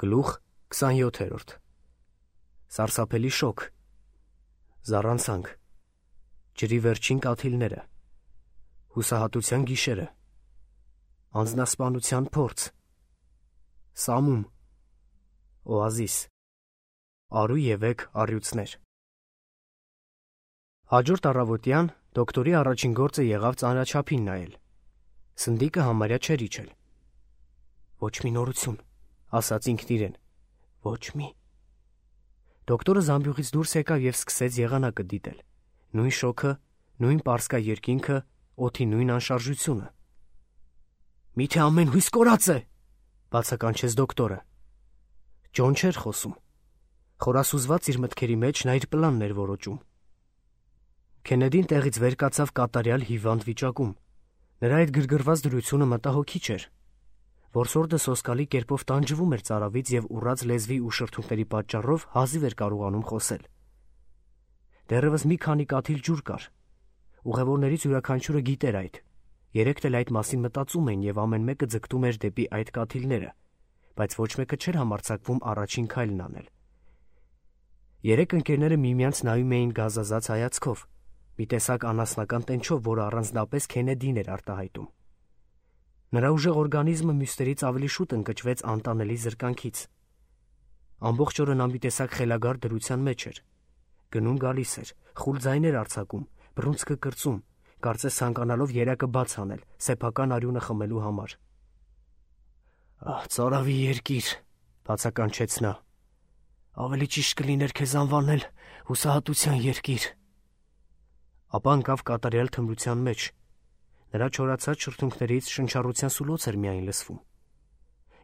Գլուխ 27 Սարսափելի շոկ, զառանցանք, ջրի վերջին կաթիլները, հուսահատության գիշերը, անձնասպանության փորձ, սամում, օազիս, արու ևեք առյուծներ։ Հաջորդ առավոտյան դոկտորի առաջին գործը եղավ ծանրաչափին նայել։ Սնդիկը համարյա չէր իջել։ Ոչ մի նորություն, ասաց ինքն իրեն, ոչ մի։ Դոկտորը զամբյուղից դուրս եկավ և սկսեց եղանակը դիտել։ Նույն շոքը, նույն պարսկա երկինքը, օդի նույն անշարժությունը։ Միթե ամեն հույս կորած է, բացականչեց դոկտորը։ Ջոն չէր խոսում։ Խորասուզված իր մտքերի մեջ նա իր պլանն էր որոճում։ Քենեդին տեղից վեր կացավ կատարյալ հիվանդ վիճակում։ Նրա այդ գրգռված դրությունը մտահոգիչ էր։ Որսորդը սոսկալի կերպով տանջվում էր ծարավից և ուռած լեզվի ու շրթունքների պատճառով հազիվ էր կարողանում խոսել։ Դեռևս մի քանի կաթիլ ջուր կար։ Ուղևորներից յուրաքանչյուրը գիտեր այդ։ Երեքն էլ այդ մասին մտածում էին և ամեն մեկը ձգտում էր դեպի այդ կաթիլները, բայց ոչ մեկը չէր համարձակվում առաջին քայլն անել։ Երեք ընկերները միմյանց նայում էին գազազած հայացքով, մի տեսակ անասնական տենչով, որը առանձնապես Քենեդին էր արտահայտում։ Նրա ուժեղ օրգանիզմը մյուսներից ավելի շուտ ընկճվեց անտանելի զրկանքից։ Ամբողջ օրը նա մի տեսակ խելագար դրության մեջ էր։ Գնում գալիս էր, խուլ ձայներ արձակում, բռունցքը կրծում, կարծես ցանկանալով երակը բաց անել, սեփական արյունը խմելու համար։ Ծարավի երկիր, բացականչեց նա։ Ավելի ճիշտ կլիներ քեզ անվանել հուսահատության երկիր։ Ապա ընկավ կատարյալ թմրության մեջ։ Նրա չորացած շրթունքներից շնչառության սուլոց էր միայն լսվում։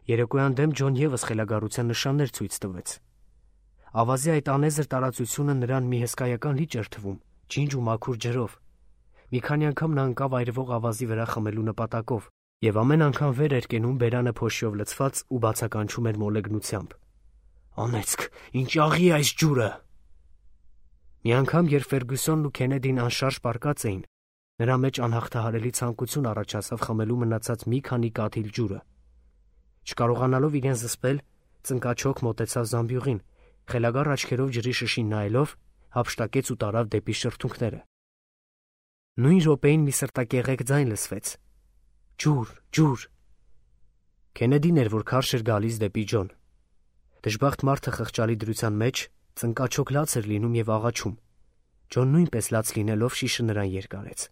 Երեկոյան դեմ Ջոն ևս խելագարության նշաններ ցույց տվեց։ Ավազի այդ անեզր տարածությունը նրան մի հսկայական լիճ էր թվում, ջինջ ու մաքուր ջրով։ Մի քանի անգամ նա ընկավ այրվող ավազի վրա խմելու նպատակով, և ամեն անգամ վեր էր կենում բերանը փոշիով լցված ու բացականչում էր մոլեգնությամբ։ Անեծք, ինչ աղի է այս ջուրը։ Մի անգամ, երբ Ֆերգյուսոնն ու Քենեդին անշարժ պառկած էին, նրա մեջ անհաղթահարելի ցանկություն առաջացավ խմելու մնացած մի քանի կաթիլ ջուրը։ Չկարողանալով իրեն զսպել, ծնկաչոք մոտեցավ զամբյուղին, խելագար աչքերով ջրի շշին նայելով, հափշտակեց ու տարավ դեպի շրթունքները։ Նույն րոպեին մի սրտակեղեկ ձայն լսվեց. Ջուր, ջուր։ Քենեդին էր, որ քարշ էր գալիս դեպի Ջոն։ Դժբախտ մարդը խղճալի դրության մեջ ծնկաչոք լաց էր լինում և աղաչում։ Ջոն նույնպես լաց լինելով շիշը նրան երկարեց։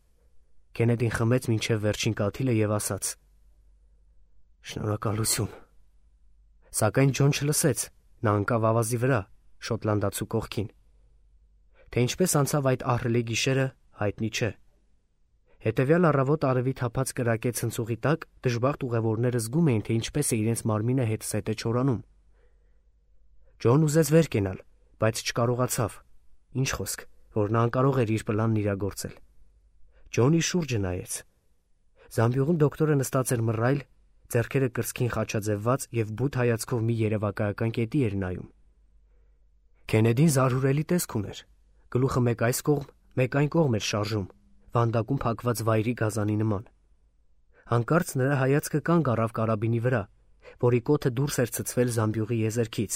Քենեդին խմեց մինչև վերջին կաթիլը և ասաց. Շնորհակալություն։ Սակայն Ջոն չլսեց, նա ընկավ ավազի վրա, շոտլանդացու կողքին։ Թե ինչպես անցավ այդ ահռելի գիշերը, հայտնի չէ։ Հետևյալ առավոտ արևի թափած կրակե ցնցուղի տակ դժբախտ ուղևորները զգում էին, թե ինչպես է իրենց մարմինը հետզհետե չորանում։ Ջոն ուզեց վեր կենալ, բայց չկարողացավ։ Ինչ խոսք, որ նա անկարող էր իր պլանն իրագործել։ Ջոնի շուրջը նայեց։ Զամբյուղում դոկտորը նստած էր մռայլ, ձեռքերը կրծքին խաչաձևված և բութ հայացքով մի երևակայական կետի էր նայում։ Քենեդին զարհուրելի տեսք ուներ։ Գլուխը մեկ այս կողմ, մեկ այն կողմ էր շարժում, վանդակում փակված վայրի գազանի նման։ Հանկարծ նրա հայացքը կանգ առավ կարաբինի վրա, որի կոթը դուրս էր ցցվել զամբյուղի եզերքից։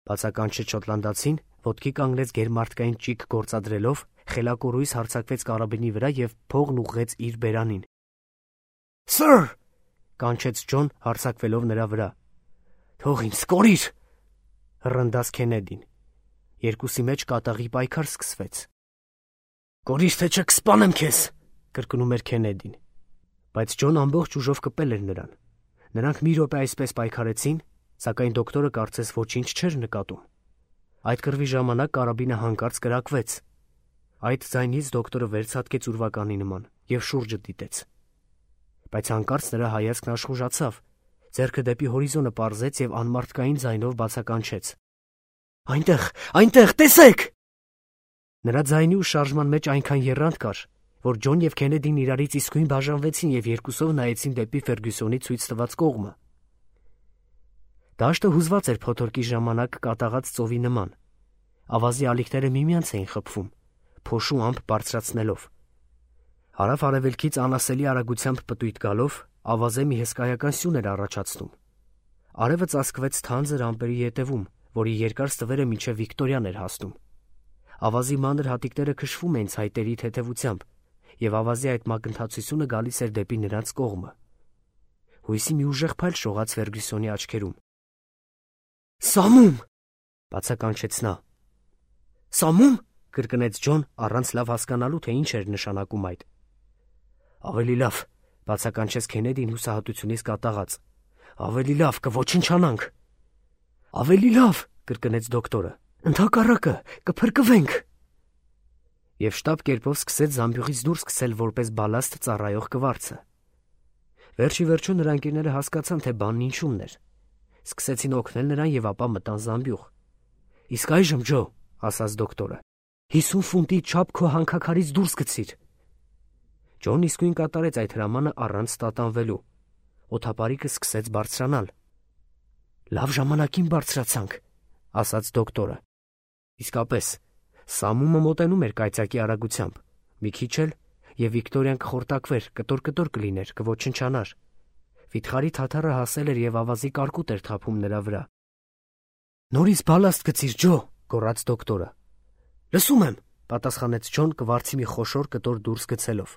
Բացականչեց շոտլանդացին, ոտքի կանգնեց գերմարտկային ճիգ գործադրելով, խելակորույս հարձակվեց կարաբինի վրա և փողն ուղղեց իր բերանին։ Սըր, կանչեց Ջոն, հարձակվելով նրա վրա։ Թող ինձ կորիր, հռնդաց Քենեդին։ Երկուսի մեջ կատաղի պայքար սկսվեց։ Կորիր, թե չէ կսպանեմ քեզ, կրկնում էր Քենեդին։ Բայց Ջոն ամբողջ ուժով կպել էր նրան։ Նրանք մի րոպե այսպես պայքարեցին, սակայն դոկտորը կարծես ոչինչ չէր նկատում։ Այդ կռվի ժամանակ կարաբինը հանկարծ կրակվեց։ Այդ ձայնից դոկտորը վերցատկեց ուրվականի նման և շուրջը դիտեց։ Բայց հանկարծ նրա հայացքն աշխուժացավ, ձեռքը դեպի հորիզոնը պարզեց և անմարդկային ձայնով բացականչեց. Այնտեղ, տեսեք։ Նրա ձայնի ու շարժման մեջ այնքան եռանդ կար, որ Ջոն և Քենեդին իրարից իսկույն բաժանվեցին և երկուսով նայեցին դեպի Ֆերգյուսոնի ցույց տված կողմը։ Դաշտը հուզված էր փոթորկի ժամանակ կատաղած ծովի նման։ Ավազի ալիքները միմյանց էին խփվում, փոշու ամպ բարձրացնելով։ Հարավ-արևելքից անասելի արագությամբ պտույտ գալով, ավազե մի հսկայական սյուն էր առաջացնում։ Արևը ծածկվեց թանձր ամպերի ետևում, որի երկար ստվերը մինչև Վիկտորիան էր հասնում։ Ավազի մանր հատիկները քշվում էին ցայտերի թեթևությամբ, եւ ավազի այդ մակընթացությունը գալիս էր դեպի նրանց կողմը։ Հույսի մի ուժեղ փայլ շողաց Ֆերգյուսոնի աչքերում։ «Սամում!» բացականչեց նա։ «Սամում?» կրկնեց Ջոն, առանց լավ հասկանալու, թե ինչ էր նշանակում այդ։ «Ավելի լավ», բացականչեց Քենեդին հուսահատությունից կատաղած։ «Ավելի լավ, կոչնչանանք»։ «Ավելի լավ», կրկնեց դոկտորը։ «Ընդհակառակը, կփրկվենք»։ Եվ շտապ կերպով սկսեց զամբյուղից դուրս գցել որպես բալաստ ծառայող կվարձը։ Վերջի վերջո նրա ընկերները հասկացան, թե բանն ինչումն էր։ Սկսեցին օգնել նրան եւ ապա մտան զամբյուղ։ «Իսկ այժմ, Ջո», ասաց դոկտորը, 50 ֆունտի չափ քո հանքաքարից դուրս գցիր։ Ջոնն իսկույն կատարեց այդ հրամանը առանց տատանվելու։ Օդապարիկը սկսեց բարձրանալ։ «Լավ ժամանակին բարձրացանք», ասաց դոկտորը։ Իսկապես, Սամումը մոտենում էր կայծակի արագությամբ։ Մի քիչ էլ, եւ Վիկտորիան կխորտակվեր, կտոր կլիներ, կոչնչանար։ Վիթխարի թաթարը հասել էր եւ ավազի կարկուտ էր թափում նրա վրա։ «Նորից բալաստ գցիր, Ջո», գոռաց դոկտորը։ «Լսում եմ», պատասխանեց Ջոն կվարձի մի խոշոր կտոր դուրս գցելով։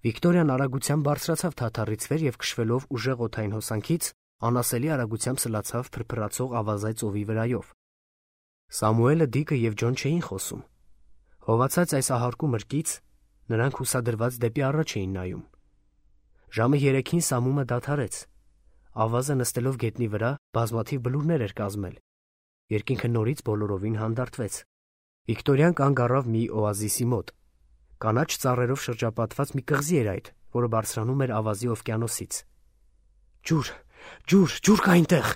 Վիկտորիան արագությամբ բարձրացավ թաթարից վեր եւ քշվելով ուժեղ օդային հոսանքից անասելի արագությամբ սլացավ փրփրացող ավազայ ծովի վրայով։ Սամուելը, Դիկը եւ Ջոն չէին խոսում։ Հովացած այս ահարկու մրկից նրանք հուսադրված դեպի առաջ էին նայում։ Ժամը 3-ին Սամումը դադարեց։ Ավազը նստելով գետնի վրա բազմաթիվ բլուրներ էր կազմել։ Երկինքը նորից բոլորովին հանդարտվեց։ Վիկտորիան կանգ առավ մի օազիսի մոտ։ Կանաչ ծառերով շրջապատված մի կղզի էր այդ, որը բարձրանում էր ավազի օվկիանոսից։ «Ջուր, ջուր, ջուր կա այնտեղ»,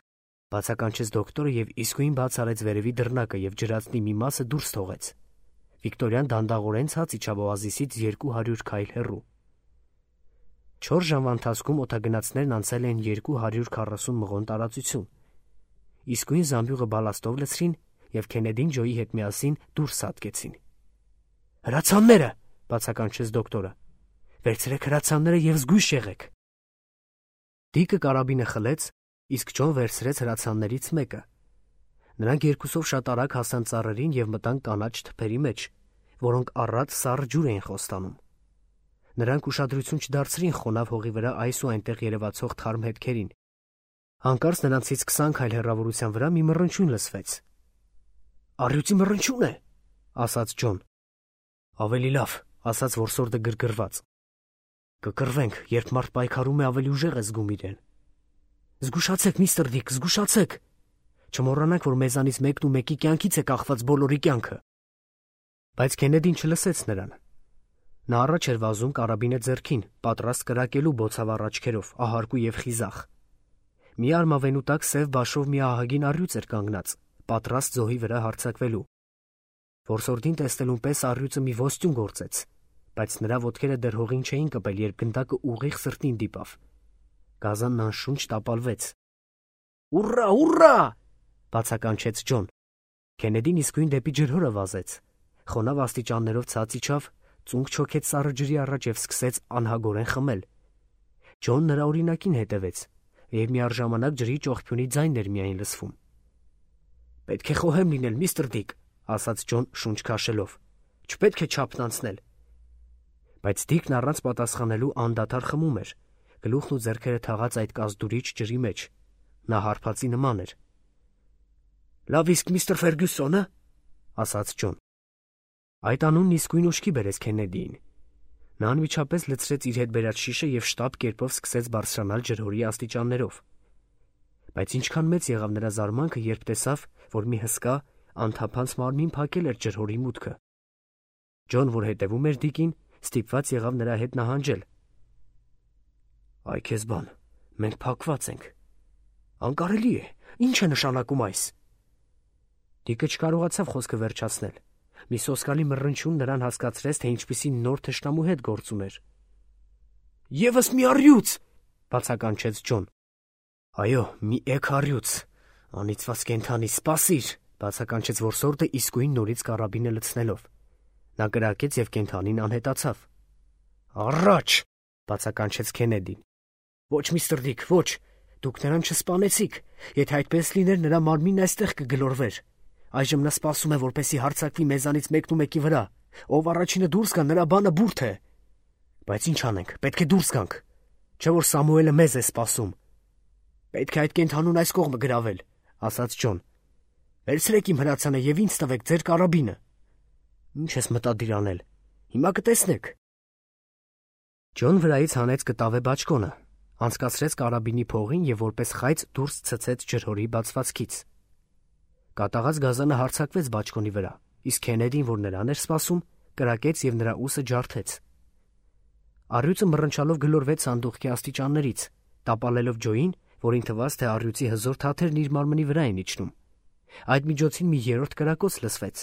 բացականչեց դոկտորը եւ իսկույն բաց արեց վերևի դռնակը եւ ջրածնի մի մասը դուրս թողեց։ Վիկտորիան դանդաղորեն ցած իջավ օազիսից 200 քայլ հեռու։ 4 ժամվա ընթացքում օդագնացներն անցել էին 240 մղոն տարածություն։ Իսկույն զամբյուղը բալաստով լցրին եւ Քենեդին Ջոյի հետ միասին դուրս հատկեցին։ «Հրացանները», բացականչեց դոկտորը։ «Վերցրեք հրացանները եւ զգույշ եղեք»։ Դիկը կարաբինը խլեց, իսկ Ջոն վերցրեց հրացաններից մեկը։ Նրանք երկուսով շատ արագ հասան ծառերին եւ մտան կանաչ թփերի մեջ, որոնք առատ սառը ջուր էին խոստանում։ Նրանք ուշադրություն չդարձրին խոնավ հողի վրա այս ու այնտեղ երևացող թարմ հետքերին։ Հանկարծ նրանցից 20 քայլ հեռավորության վրա մի մռնչյուն լսվեց։ «Առյուծի մռնչյուն է», ասաց Ջոն։ «Ավելի լավ», ասաց որսորդը գրգռված։ «Կկռվենք, երբ մարդ պայքարում է, ավելի ուժեղ է զգում իրեն»։ «Զգուշացեք, միստր Դիկ, զգուշացեք։ Չմոռանանք, որ մեզանից մեկն ու մեկի կյանքից է կախված բոլորի կյանքը»։ Բայց Քենեդին չլսեց նրան։ Նա առաջ էր վազում կարաբինը ձեռքին, պատրաստ կրակելու բոցավառ աչքերով, ահարկու եւ խիզախ։ Մի արմավենու տակ սև բաշով մի ահագին առյուծ էր կանգնած, պատրաստ զոհի վրա հարձակվելու։ Որսորդին տեսնելուն պես առյուծը մի ոստյուն գործեց, բայց նրա ոտքերը դեռ հողին չէին կպել, երբ գնդակը ուղիղ սրտին դիպավ։ Գազանն անշունչ տապալվեց։ «Ուռա, ուռա!» բացականչեց Ջոն։ Քենեդին իսկույն դեպի ջրհորը վազեց։ Խոնավ աստիճաններով ցած իջավ, ծունկ չոքեց սառը ջրի առաջ եւ սկսեց անհագորեն խմել։ Ջոն նրա օրինակին հետևեց, եւ միառժամանակ ջրի ճողփյունի ձայնն էր միայն լսվում։ «Պետք է խոհեմ լինել, միստր Դիկ», ասաց Ջոն շունչ քաշելով։ «Չպետք է չափն անցնել»։ Բայց Դիկն առանց պատասխանելու անդադար խմում էր, գլուխն ու ձեռքերը թաղած այդ կազդուրիչ ջրի մեջ։ Նա հարբածի նման էր։ «Լավ իսկ միստր Ֆերգյուսոնը», ասաց Ջոն։ Այդ անունն իսկույն ուշքի բերեց Քենեդիին։ Նա անմիջապես լցրեց իր հետ բերած շիշը եւ շտապ կերպով սկսեց բարձրանալ ջրհորի աստիճաններով։ Բայց ինչքան մեծ եղավ նրա զարմանքը, երբ տեսավ, որ մի հսկա, անթափանց մարմին փակել էր ջրհորի մուտքը։ Ջոն, որ հետևում էր Դիկին, ստիպված եղավ նրա հետ նահանջել։ «Այ քեզ բան, մենք փակված ենք»։ «Անկարելի է, ինչ է նշանակում այս»։ Դիկը չկարողացավ խոսքը վերջացնել։ Մի սոսկալի մռնչյուն նրան հասկացրեց, թե ինչպիսի նոր թշնամու հետ գործ ուներ։ «Եվս մի առյուծ», բացականչեց Ջոն։ «Այո, մի էգ առյուծ, անիծված կենդանի, սպասիր», բացականչեց որսորդը իսկույն նորից կարաբինը լցնելով։ Նա կրակեց եւ կենդանին անհետացավ։ «Առաջ», բացականչեց Քենեդին։ «Ոչ, միստր Դիկ, ոչ, Դուք նրան չսպանեցիք, եթե այդպես լիներ նրա մարմինն այստեղ կգլորվեր։ Այժմ նա սպասում է, որպեսզի հարձակվի մեզանից մեկնումեկի վրա։ Ով առաջինը դուրս գա, նրա բանը բուրդ է։ Բայց ինչ անենք, պետք է դուրս գանք։ Չէ՞ որ Սամուելը մեզ է սպասում։ Պետք է այդ կենդանուն այս կողմը գրավել, ասաց Ջոն։ Վերցրեք իմ հրացանը եւ ինձ տվեք ձեր կարաբինը։ Ինչ ես մտադիր անել։ Հիմա կտեսնեք։ Ջոն վրայից հանեց կտավե բաճկոնը, անցկացրեց կարաբինի փողին եւ որպես խայծ դուրս ցցեց ջրհորի բացվածքից։ Կատաղած գազանը հարձակվեց բաճկոնի վրա, իսկ Քենեդին, որ նրան էր սպասում, կրակեց եւ նրա ուսը ջարդեց։ Առյուծը մռնչալով գլորվեց սանդուղքի աստիճաններից, տապալելով Ջոյին, որին թվաց, թե առյուծի հզոր թաթերն իր մարմնի վրա են իջնում։ Այդ միջոցին մի երրորդ կրակոց լսվեց,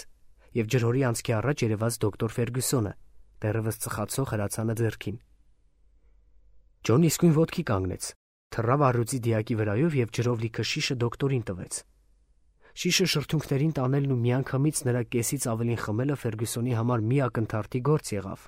եւ ջրհորի անցքի առաջ երևաց դոկտոր Ֆերգյուսոնը, դեռևս ծխացող հրացանը ձեռքին։ Ջոնն իսկույն ոտքի կանգնեց, թռավ առյուծի դիակի վրայով եւ ջրով լիքը շիշը դոկտորին տվեց։ Շիշը շրթունքներին տանելն ու միանգամից նրա կեսից ավելին խմելը Ֆերգյուսոնի համար մի ակնթարթի գործ եղավ։